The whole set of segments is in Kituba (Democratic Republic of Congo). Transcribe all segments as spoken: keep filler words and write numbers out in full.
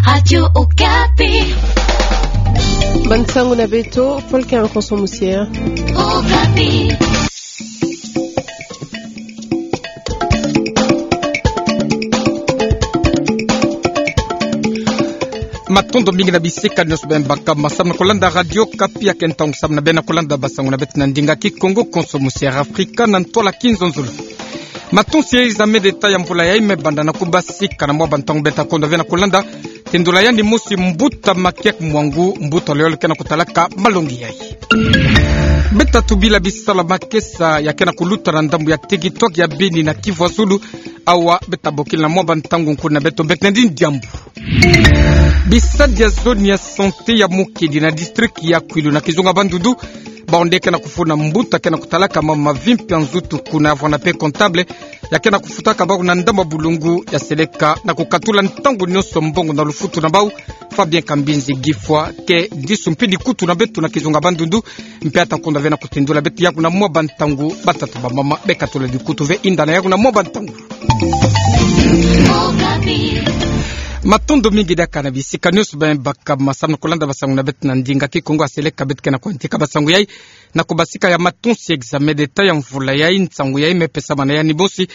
Radio Okapi. Bansangu na beto, Paul Kernkonso Musier. Okapi. Matondo mingi na bisika nionso beno baka ma samu na kolanda Radio Okapi. Ya ke ntangu samu na beno na kolanda bansangu na beto na ndinga Kikongo, konso Musier Afrika na ntwala kinzonzolo. Matonsi ya examen d'État ya mvula yai me banda na kubasika na mwa bantangu. Beto ta kondwa ve na kolanda tendula yandi mosi, mbuta Makiaki Mwangu, mbuta loyole ke na kutalaka malongi yai. Beto ta tubila bisalu ya makesa ya ke na kuluta na ndambu ya teritware ya Beni na Kivu ya Zulu. Awa beto ta bokila na mwa bantangu nkutu na beto mbeteni diambu. Bisadi ya zone ya santé ya Mokedi na district ya Kwilu na kizunga Bandundu, bawu nde ke na kufuna mbuta ke na kutalaka mambu ma vimpi ya nzutu kuna, vwanda mpe comptable ya ke na kufutaka bawu na ndambu ya bulungu ya seleka na kukatula ntangu nionso mbongo na lufutu na bawu. Fabien Kambinzi Gifwa ke disu mpe dikutu na beto na kizunga Bandundu, mpe ta kondwa ve na kutendula beto yaku na mwa bantangu. Batata, bamama, bekatula dikutu ve, yinda na yaku na mwa bantangu. Matondo mingi diaka na bisika nionso beno baka ma samu na kolanda bansangu na beto na ndinga Kikongo. Ya seleka beto ke na kuyantika bansangu yai na kubasika ya matonsi ya examen d'État ya mvula yai. Nsangu yai me pesama na yandi mosi,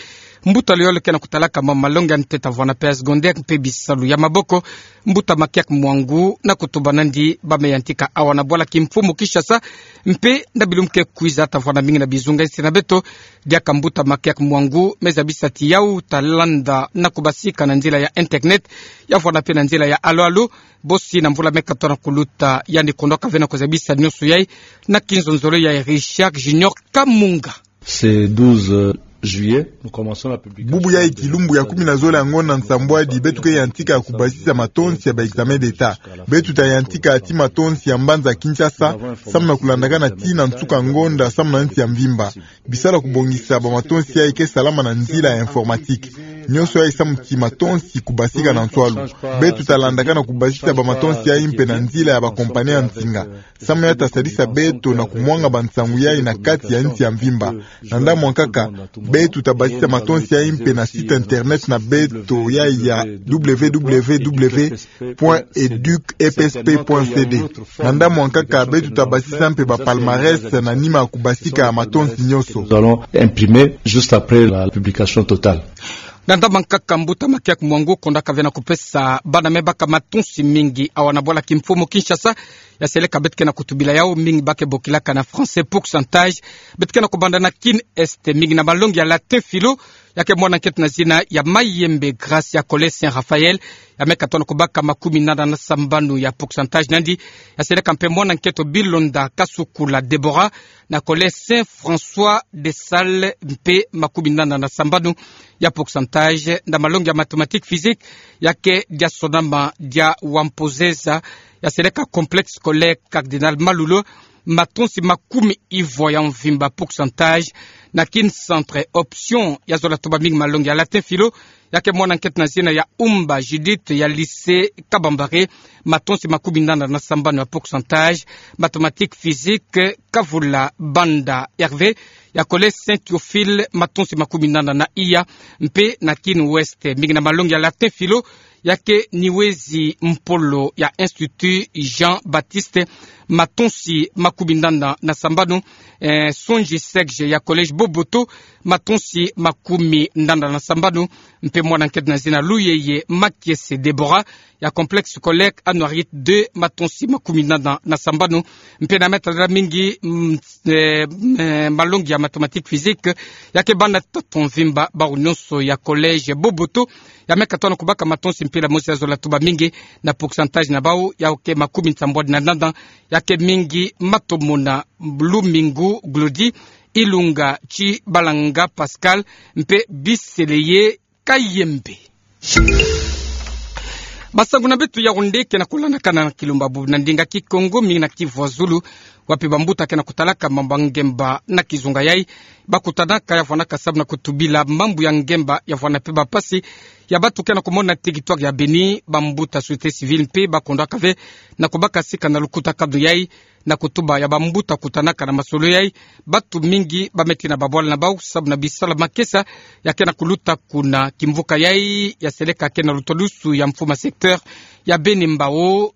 mbuta loyole ke na kutalaka mambu ma malongi ya ntete, vwanda mpe ya secondaire mpe bisalu ya maboko, mbuta Makiaki Mwangu, na kutuba nandi ba me yantika awa na bwala kimfumu Kinshasa, mpe na bilumbu ke kwiza ta vwanda mingi na bizunga insi na beto. Diaka mbuta Makiaki Mwangu me zabisa ti yawu ta landa na kubasika na nzila ya internet, ya vwanda mpe na nzila ya alo-alo. Bosi na mvula me katoa na kuluta, yandi kondwaka ve na kuzabisa nionso yai na kinzonzolo ya Richard Junior Kamunga. Ce douze juillet, nous commençons la publication. Bubu yai, kilumbu ya kumi na zole ya ngonda nsambwadi, beto ke yantika ya kubasisa matonsi ya ba examen d'État. Beto ta yantika ti matonsi ya mbanza Kinshasa, samu na kulandakana ti na nsuka ngonda, samu na nsi ya mvimba. Bisalu ya kubongisa ba matonsi yai ke salama na nzila ya informatique. Nionso yai samu ti matonsi kubasika na nswalu. Beto ta landakana kubasisa ba matonsi yai mpe na nzila ya ba compagnie ya nsinga. Samu yai ta sadisa beto na kumwanga bansangu yai na kati ya nsi ya mvimba. Na ndambu ya nkaka, beto ta basisa matonsi yai mpe na site internet na beto yai ya www point educ E P S P point C D. Na ndambu ya nkaka, beto ta basisa mpe ba palmarès na nima ya kubasika matonsi nionso. Nous allons imprimer juste après la publication totale. Na ndambu ya nkaka, mbuta Makiaki Mwangu kondwaka ve na kupesa bana me baka matonsi mingi awa na bwala kimfumu Kinshasa. Ya seleka beto ke na kutubila yawu mingi, ba ke bokilaka na français pourcentage. Beto ke na kubanda na Kin Est, mingi na malongi ya latin philo, ya ke mwana nkento na zina ya Mayembe Grace ya collège Saint Raphaël, ya me katoa na kubaka makumi nanda na sambanu ya pourcentage na yandi. Ya seleka mpe mwana nkento Bilonda Kasukula Deborah na collège Saint François de Sales, mpe makumi nanda na sambanu ya pourcentage. Na malongi ya mathématique physique, ya ke dia sonama dia Wampozeza, ya seleka complexe scolaire Cardinal Malulu, matonsi makumi ivwa ya mvimba pourcentage. Na Kin Centre Option, ya zola tuba mingi malongi ya latin philo, ya ke mwana nkento na zina ya Umba Judith ya lycée Kabambare, matonsi makumi nanda na sambanu ya pourcentage. Mathématique physique, Kavula Banda Hervé ya collège Saint Théophile, matonsi makumi nanda na iya. Mpe na Kin Ouest, mingi na malongi ya latin philo, ya ke Niwezi Mpolo ya Institut Jean-Baptiste, matonsi makumi nanda na sambanu. Eh, Sonji Serge ya collège Boboto, matonsi makumi nanda na sambanu. Mpe mwana nkento na zina Luyeye Makiese Deborah ya complexe scolaire Anuariet deux, matonsi makumi nanda na sambanu. Mpe na me ta landa mingi, mm, eh, eh, malongi ya mathématique physique, ya ke bana tatu mvimba, bawu nionso ya collège Boboto, ya me katoa na kubaka matonsi mpila mosi ya zola tuba mingi na pourcentage na bawu, ya ke makumi nsambwadi na nanda. Ya ke mingi Matomona Lumingu Glodi, Ilunga Tshibalanga Pascal, mpe Biseleye Kayembe. Masangu na beto ya wonde ke na kulandakana na kilumbu bubu na ndinga Kikongo, mingi na Kivu ya Zulu, wapi bambuta ke na kutalaka mambu ya ngemba na kizunga yai. Bakutanaka ya vwanaka samu na kutubila mambu ya ngemba ya vwana mpe bampasi ya bantu ke na kumona na territoire ya Beni. Bambuta société civile mpe bakondwaka ve na kubaka sika na lukutakanu yai, na kutuba ya bambuta kutanaka na masolo yai. Bantu mingi ba me tina babwala na bawu samu na bisalu ya makesa ya ke na kuluta kuna kimvuka yai. Ya seleka ke na lutadusu ya mfumu ya secteur ya Beni Mbao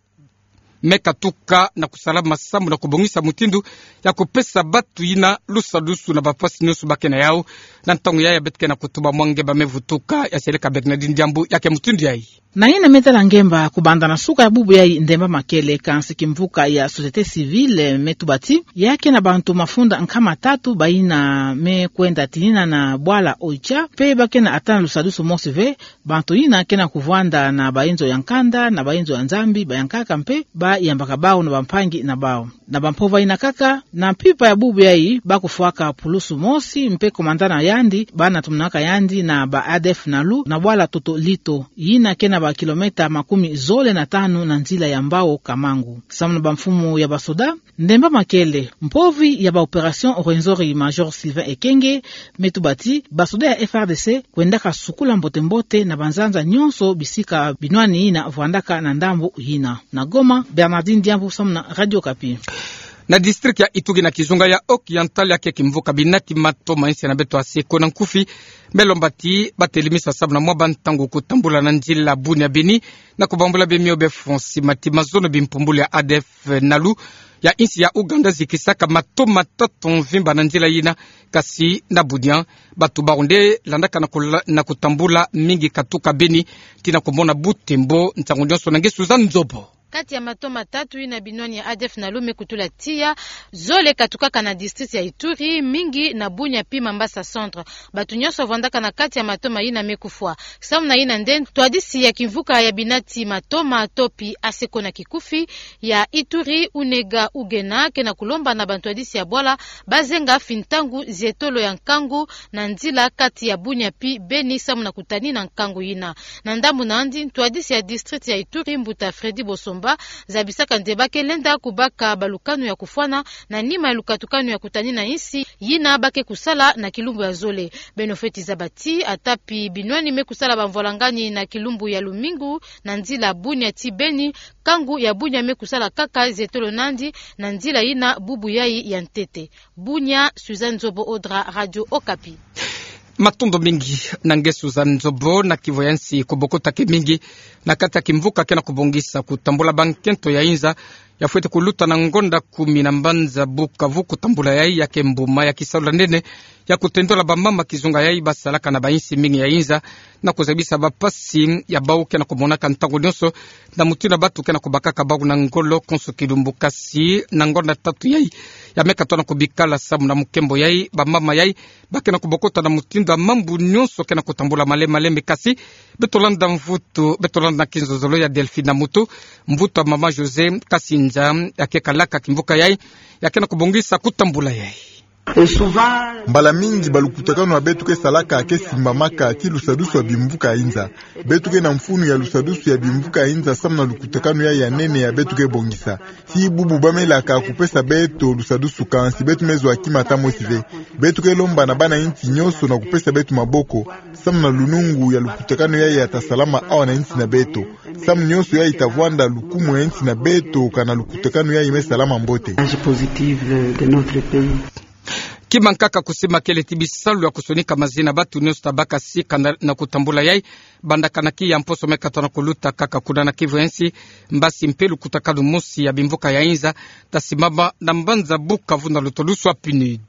me katuka na kusalama samu na kubongisa mutindu ya kupesa batu yina lusadusu na bapasi nyonso ba ke na yau. Na ntangu yayi ya beto ke na kutuba mwa ngemba me vutuka, ya seleka Bernardine Diambu, ya ke mutindu yayi. Na yina me tala ngemba, kubanda na suka ya bubu yayi Ndemba Makele, kansi kimvuka ya société civile me tuba ti ya ke na bantu mafunda nkama tatu bayina me kwenda tinina na bwala Oicha, mpe ba ke na ata na lusadusu mosi ve, bantu yina ke na kuvwanda na bayenzo ya nkanda, na bayenzo ya Nzambi, bayankaka mpe bayambaka bawu na bampangi na bawu. Na bampova yina kaka, na mpimpa ya bubu yayi, ba kufwaka pulusu mosi mpe komanda na yandi, bana tumanaka yandi na ba A D F Nalu, na bwala Toto Lito, yina ke na ba kilomètre makumi zole na tanu na nzila ya Mbao Kamangu. Samu na bamfumu ya basoda, Ndemba Makele, mpovi ya ba opération Rwenzori, Major Sylvain Ekenge, me tuba ti basoda ya F R D C kwendaka sukula mbote-mbote na banzanza nyonso bisika binwani yina vwandaka na ndambu yina. Na Goma, Bernardine Diambu samu na Radio Okapi. Na district ya Ituri na kizunga ya Haut-Oriental, ya ke kimvuka binati matoma, insi na beto Aseko na nkufi, me lomba ti ba telemisa samu na mwa bantangu kutambula na nzila Bunia Beni, na kubambula bemio be Fonsi, mati mazono bimpumbulu ya A D F Nalu ya insi ya Ouganda zikisaka matoma tatu mvimba na nzila yina. Kasi na Bunia, batu bawu nde landaka na kula-, na kutambula mingi katuka Beni, tii na kumona butembo ntangu nyonso. Na nge Suzanne Nzobo. Kati ya matoma tatu yina binwani ya A D F Nalu me kutula tiya, zole katukaka na district ya Ituri, mingi na Bunia pi Mambasa Centre. Batu nyonso vwandaka na kati ya matoma yina me kufwa. Samu na yina nde ntwadisi ya kimvuka ya binati matoma to pi Aseko na kikufi ya Ituri, Unega Ugena, ke na kulomba na bantwadisi ya bwala ba zenga fintangu zietolo ya nkangu na nzila kati ya Bunia pi Beni samu na kutanina nkangu yina. Na ndambu na yandi, ntwadisi ya district ya Ituri, mbuta Freddy Bosomba, zabisaka nde ba ke lenda kubaka balukanu ya kufwana na nima ya lukatukanu ya kutanina insi yina ba ke kusala na kilumbu ya zole. Beno fweti zaba ti ata pi binwani me kusala bamvwalangani na kilumbu ya lumingu na nzila Bunia tii Beni, nkangu ya Bunia me kusala kaka zietolo na yandi na nzila yina bubu yayi ya ntete. Bunia, Suzanne Nzobo Odra, Radio Okapi. Matondo mingi na nge Suzanne Nzobo. Na kivu ya insi, kubokota ke mingi na kati ya kimvuka ke na kubongisa kutambula bankento ya inza, ya fweti kuluta na ngonda kumi na mbanza Bukavu. Kutambula yayi ya ke mbuma ya kisalu ya nene ya kutendola bamama kizunga yayi basalaka na bainsi mingi ya inza, na kuzabisa bapasi ya bawu ke na kumonaka ntangu nyonso, na mutindu batu ke na kubakaka bawu na ngolo konso kilumbu. Kasi na ngonda tatu yayi ya me katona kubikala samu na mukembo yayi, bamama yayi ba ke na kubokota na mutindu ya mambu nyonso ke na kutambula malembe-malembe. Kasi beto landa mvutu, beto landa na kinzonzolo ya Delphine Namutu, mvutu ya mama José Kasinza, ya ke kalaka kimvuka yayi, ya ke na kubongisa kutambula yayi. Mbala mingi balukutakanu ya beto ke salaka ke simbamaka tii lusadusu ya bimvuka ya inza. Beto ke na mfunu ya lusadusu ya bimvuka ya inza samu na lukutakanu yayi ya nene ya beto ke bongisa. Tii bubu ba melaka kupesa beto lusadusu, kansi beto me zwa kima ata mosi ve. Beto ke lomba na bana insi nyonso na kupesa beto maboko samu na lunungu ya lukutakanu yayi ya ta salama awa na insi na beto. Samu nyonso yayi ta vwanda lukumu ya insi na beto, kana lukutakanu yayi me salama mbote. Kima nkaka kusimakele ti bisalu ya kusonika mazina batu nyonso ta baka sika na, na kutambula yayi, banda kana ki ya mposo me katona kuluta kaka kuna na kivu ya insi, mbasi mpe lukutakanu mosi ya bimvuka ya inza ta simama na mbanza Bukavu na luto luswa PNUD.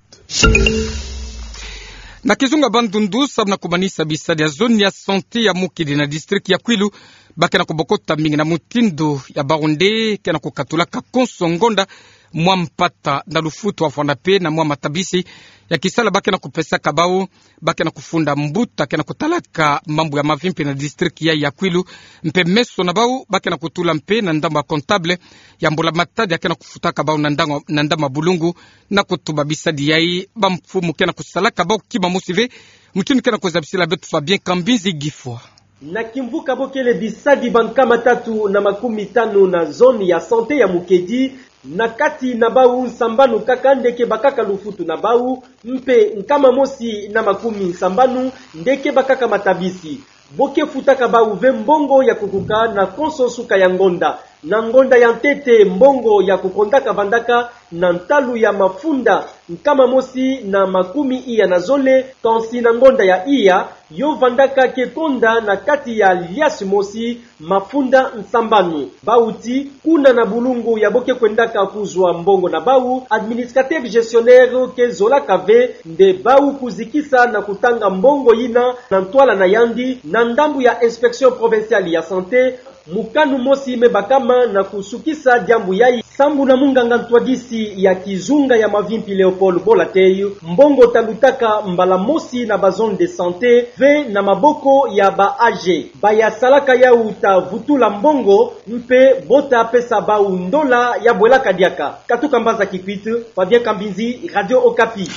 Na kizunga Bandundu, samu na kumanisa bisadi ya zone ya santé ya Mukidi na district ya Kwilu, ba ke na kubokota mingi na mutindu ya bawu nde ke na kukatulaka konso ngonda mwa mpata na lufutu, wafwana mpe na mwa matabisi ya kisala ba ke na kupesaka bawu. Ba ke na kufunda mbuta ke na kutalaka mambu ya mavimpi na district yayi ya Kwilu, mpe meso na bawu ba ke na kutula mpe na ndambu ya comptable ya mbula-matadi ya ke na kufutaka bawu na ndambu, na ndambu ya bulungu, na kutuba bisadi yayi bamfumu ke na kusalaka bawu kima mosi ve. Mutindu ke na kuzabisila beto Fabien Kambinzi Gifwa. Na kimvuka bo kele bisadi bankama tatu na makumi tanu na zone ya santé ya Mukedi, na kati na bawu nsambanu kaka nde ke bakaka lufutu na bawu, mpe nkama mosi na makumi nsambanu nde ke bakaka matabisi. Bo ke futaka bawu ve mbongo ya kukuka na konso suka ya ngonda. Na ngonda ya ntete, mbongo ya kukondaka vandaka na ntalu ya mafunda nkama mosi na makumi iya na zole, kansi na ngonda ya iya, yo vandaka ke konda na kati ya liasi mosi mafunda nsambanu. Bau ti, kuna na bulungu ya bo ke kwendaka kuzwa mbongo na bau, administrateur gestionnaire ke zolaka ve nde bau kuzikisa na kutanga mbongo yina na ntwala na yandi, na ndambu ya Inspection Provinciale ya Santé, mokanu mosi me bakama na kusukisa diambu yayi. Sambu na munganga ntwadisi ya kizunga ya Mavimpi Léopold Bolatey, mbongo talutaka mbala mosi na ba zone de santé ve na maboko ya ba âgés. Ba ya salaka yau ta vutula mbongo mpe bo ta pesa bau ndola ya bwelaka diaka. Katuka mbanza Kikwit, Fabien Kambinzi, Radio Okapi.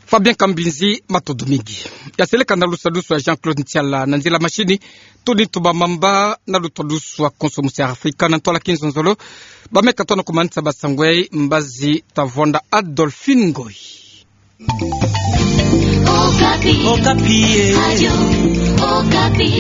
Fabien Kambinzi, matondo mingi. Ya seleka na lusadusu ya Jean-Claude Ntiala na nzila mashini, tudi tuba mamba na lusadusu ya konso musi ya Afrika na ntwala kinzonzolo. Ba me katono kumanisa ba sangwe, mbazi ta vonda Adolphine Ngoyi. Okapi. Okapi, eh. Radio Okapi.